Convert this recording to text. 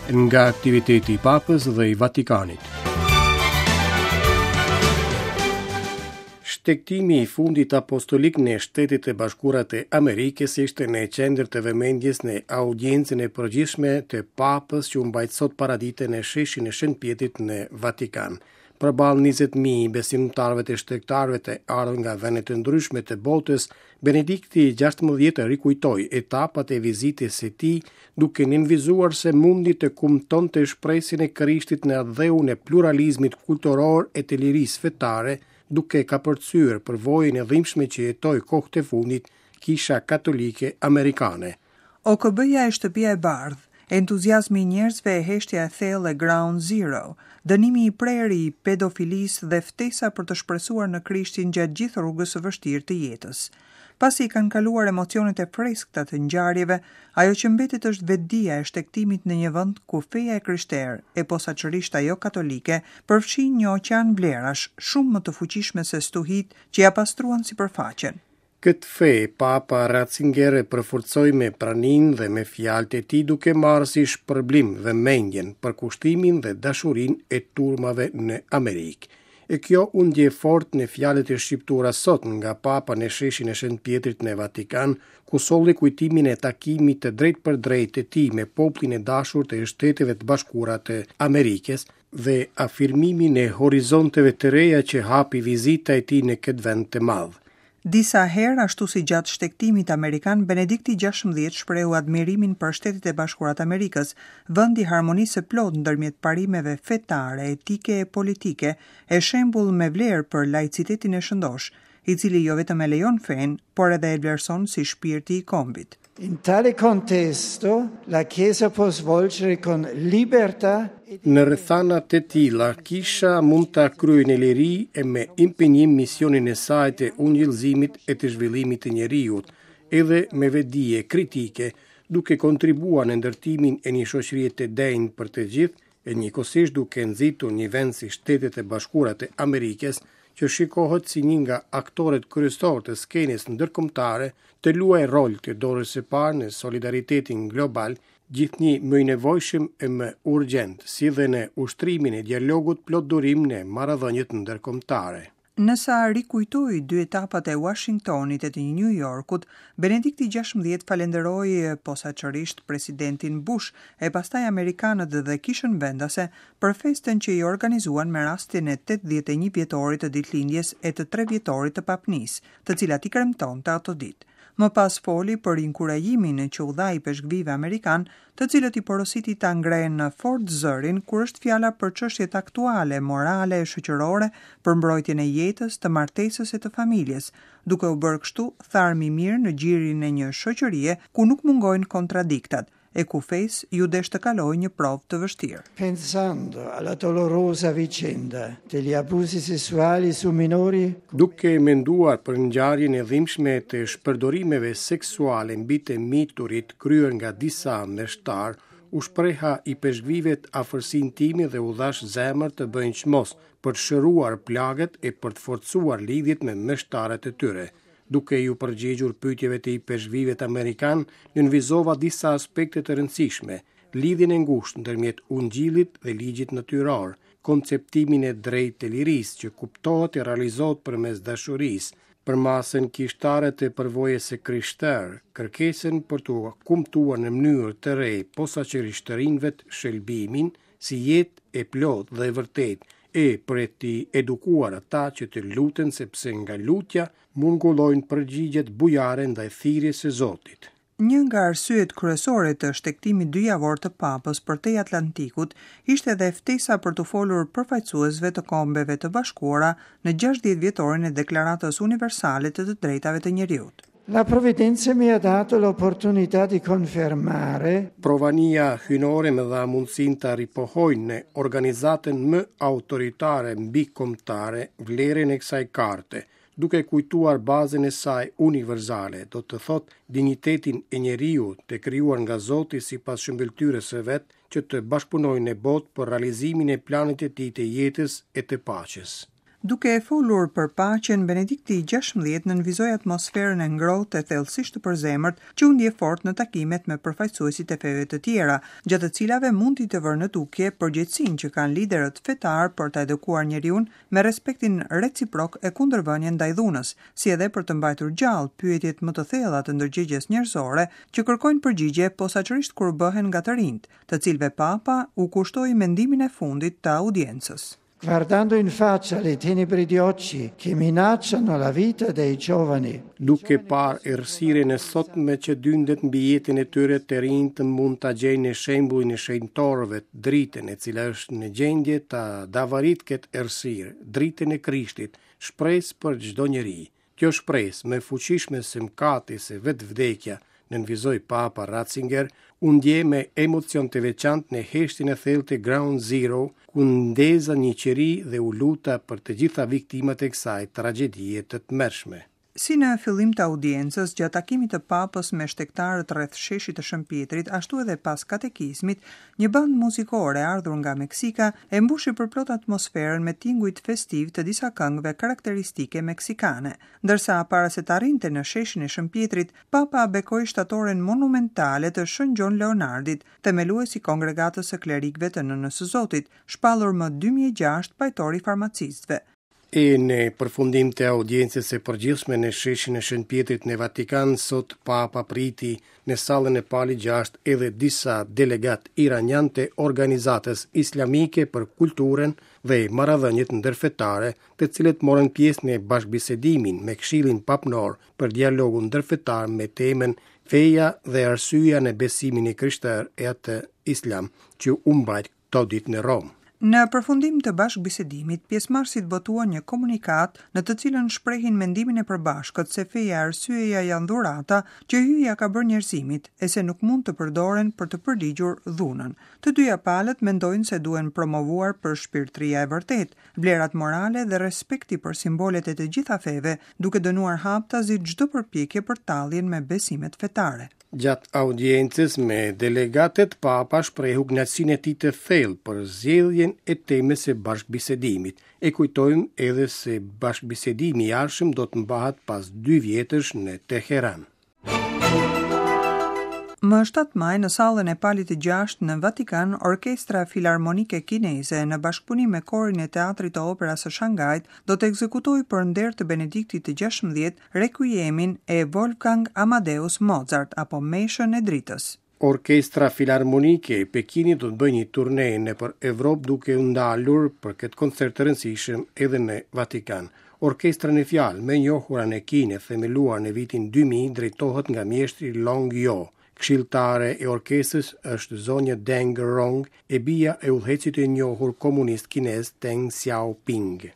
Nga aktiviteti i Papës dhe i Vatikanit. Shtegtimi i fundit apostolik në Shtetet e Bashkuara të Amerikës ishte në qendër të vëmendjes në audiencën e përgjithshme të Papës që u mbajt sot paradite në sheshin e Shën Pjetrit në Vatikan. Përballë 20.000 besimtarëve të shtegtarëve të ardhur nga vende të ndryshme të botës, Benedikti XVI rikujtoi etapat e vizitës së tij, duke nënvizuar se mundi të kumtonte shpresën e Krishtit në atdheun e pluralizmit kulturor e të lirisë fetare, duke kapërcyer përvojën e dhimbshme që jetoi kohët e fundit Kisha Katolike Amerikane. OKB-ja e Shtëpia e Bardhë, entuziazmi i njerëzve e heshtja e thellë e Ground Zero, dënimi i prerë i pedofilisë dhe ftesa për të shpresuar në Krishtin gjatë gjithë rrugës së vështirë të jetës. Pasi i kanë kaluar emocionet e freskëta të ngjarjeve, ajo që mbetet është vetëdija e shtegtimit në një vend ku feja e krishterë, e posaçërisht ajo katolike, përfshin një oqean vlerash, shumë më të fuqishme se stuhitë që ia pastruan sipërfaqen. Këtë fe, Papa Ratzinger e përforcoi me praninë dhe me fjalët e tij duke marrë si shpërblim vëmendjen, përkushtimin dhe dashurinë e turmave në Amerikë. E kjo u ndje fort në fjalët e shqiptuara sot nga Papa në sheshin e Shën Pjetrit në Vatikan, ku solli kujtimin e takimit të drejtpërdrejtë të tij me popullin e dashur të Shteteve të Bashkuara të Amerikës dhe afirmimin e horizonteve të reja që hapi vizita e tij në këtë vend të madh. Disa herë, ashtu si gjatë shtegtimit amerikan, Benedikti XVI shprehu admirimin për Shtetet e Bashkuara të Amerikës, vend i harmonisë së plotë ndërmjet parimeve fetare, etike e politike, e shembull me vlerë për laicitetin e shëndoshë, i cili jo vetëm e lejon fenë, por edhe e vlerëson si shpirti i kombit. In tale contesto la Chiesa può svolgere con libertà e Në rrethana të tilla, Kisha mund ta kryejë në liri e me impenjim misionin e saj të ungjillëzimit e të zhvillimit të njeriut, edhe me vetëdije kritike, duke kontribuar në ndërtimin e një shoqërie të denjë për të gjithë, e njëkohësisht duke nxitur një vend si Shtetet e Bashkuara të Amerikës, që shikohet si një nga aktorët kryesorë të skenës ndërkombëtare, të luajë rol të dorës së parë në solidaritetin global, gjithnjë më i nevojshëm e më urgjent, si dhe në ushtrimin e dialogut plot durim në marrëdhëniet ndërkombëtare. Ndërsa rikujtoi dy etapat e Uashingtonit e të Nju Jorkut, Benedikti XVI falënderoi posaçërisht presidentin Bush e pastaj amerikanët dhe kishën vendase për festën që i organizuan me rastin e 81 vjetorit të ditëlindjes e të tre vjetorit të papnisë, të cilat i kremtonte ato ditë. Më pas foli për inkurajimin që u dha ipeshkvijve amerikanë, të cilët i porositi ta ngrenë fort zërin kur është fjala për çështjet aktuale, morale e shoqërore, për mbrojtjen e jetës, të martesës e të familjes, duke u bërë kështu tharm i mirë në gjirin e një shoqërie ku nuk mungojnë kontradiktat, e ku fesë iu desh të kalojë një provë të vështirë. Pensando alla dolorosa vicenda degli abusi sessuali su minori, Duke menduar për ngjarjen e dhimbshme të shpërdorimeve seksuale mbi të miturit kryer nga disa meshtarë, u shpreha ipeshkvijve afërsinë time dhe u dhashë zemër të bëjnë çmos për të shëruar plagët e për të forcuar lidhjet me meshtarët e tyre. Duke iu përgjigjur pyetjeve të ipeshkvijve amerikanë, nënvizova disa aspekte të rëndësishme, lidhjen e ngushtë ndërmjet ungjillit dhe ligjit natyror, konceptimin e drejtë të lirisë që kuptohet e realizohet përmes dashurisë, përmasën kishtare të përvojës së krishterë, kërkesën për të kumtuar në mënyrë të re posaçërisht të rinjve shëlbimin si jetë e plotë dhe e vërtetë, e për t'i edukuar ata që të luten sepse nga lutja murgullojnë përgjigjet bujare ndaj thirrjes së Zotit. Një nga arsyet kryesore të shtegtimit dyjavor të Papës përtej Atlantikut ishte edhe ftesa për t'u folur përfaqësuesve të Kombeve të Bashkuara në 60 vjetorin e Deklaratës Universale të të Drejtave të Njeriut. La provvidenza mi ha dato l'opportunità di confermare Provania hyjnore më dha mundësinë ta ripohoj në organizatën më autoritare mbikombëtare vlerën e kësaj karte, duke kujtuar bazën e saj universale, do të thotë dinjitetin e njeriut të krijuar nga Zoti sipas shëmbëlltyrës së vet, që të bashkëpunojë në botë për realizimin e planit të tij të jetës e të paqes. Duke folur për paqen, Benedikti 16 nënvizoi atmosferën e ngrohtë e thellësisht të përzemërt që u ndje fort në takimet me përfaqësuesit e feve të tjera, gjatë të cilave mundi të vërë në dukje përgjegjësinë që kanë liderët fetarë për ta edukuar njeriun me respektin reciprok e kundërvënien ndaj dhunës, si edhe për të mbajtur gjallë pyetjet më të thella të ndërgjegjes njerëzore që kërkojnë përgjigje posaçërisht kur bëhen nga të rinjtë, të cilëve Papa u kushtoi mendimin e fundit të audiencës. Guardando in faccia le tenebre di oggi che minacciano la vita dei giovani. Duke parë errësirën e sotme që dyndet mbi jetën e tyre, të rinjtë mund ta gjejnë në shembullin e shenjtorëve dritën e cila është në gjendje ta davaritë këtë errësirë, dritën e Krishtit, shpresë për çdo njeri. Kjo shpresë, më e fuqishme se mëkati se vetë vdekja, nënvizoi Papa Ratzinger, u ndje me emocion të veçantë në heshtjen e thellë të Ground Zero, ku ndeza një qiri dhe u luta për të gjitha viktimat e kësaj tragjedie të tmerrshme. Si në fillim të audiencës, gjatë takimit të Papës me shtegtarët rreth Sheshit të Shën Pjetrit, ashtu edhe pas katekizmit, Një bandë muzikore e ardhur nga Meksika e mbushi përplot atmosferën me tingujt festivë të disa këngëve karakteristike meksikane. Ndërsa para se të arrinte në Sheshin e Shën Pjetrit, Papa bekoi shtatoren monumentale të Shën Gjon Leonardit, themelues i Kongregatës së Klerikëve të Nënës së Zotit, shpallur më 2006 pajtor i farmacistëve. E në përfundim të audiencës së përgjithshme në sheshin e Shën Pjetrit në Vatikan, sot Papa priti në sallën e Palit 6 edhe disa delegatë iranianë të Organizatës Islamike për Kulturën dhe Marrëdhëniet Ndërfetare, të cilët morën pjesë në bashkëbisedimin me Këshillin Papnor për dialogun ndërfetar me temën Feja dhe arsyeja në besimin e krishterë e atë islam, që u mbajt këto ditë në Romë. Në përfundim të bashkëbisedimit, pjesëmarrësit botuan një komunikatë në të cilën shprehin mendimin e përbashkët se feja e arsyeja janë dhurata që Hyji ia ka bërë njerëzimit e se nuk mund të përdoren për të përligjur dhunën. Të dyja palët mendojnë se duhen promovuar përshpirtëria e vërtetë, vlerat morale dhe respekti për simbolet e të gjitha feve, duke dënuar haptazi çdo përpjekje për talljen me besimet fetare. Gjatë audiencës me delegatët, Papa shprehu kënaqësinë e tij të thellë për zgjedhjen e temës së bashkëbisedimit. E kujtojmë edhe se bashkëbisedimi i ardhshëm do të mbahet pas dy vjetësh në Teheran. Më 7 maj në sallën e Palit të Gjashtë në Vatikan, Orkestra Filarmonike Kineze në bashkëpunim me Korin e Teatrit të Operas së Shangait do të ekzekutojë për nder të Benediktit të 16 Rekuiemin e Wolfgang Amadeus Mozart apo Meshën e Dritës. Orkestra Filarmonike e Pekinit do të bëjë një turne nëpër Evropë duke u ndalur për këtë koncert të rëndësishëm edhe në Vatikan. Orkestra në fjalë, më e njohura në Kinë e themeluar në vitin 2000, drejtohet nga mjeshtri Long Jo. Këshilltare e orkestrës është zonja Deng Rong, e bija e udhëheqësit të njohur komunist kinez Deng Xiaoping.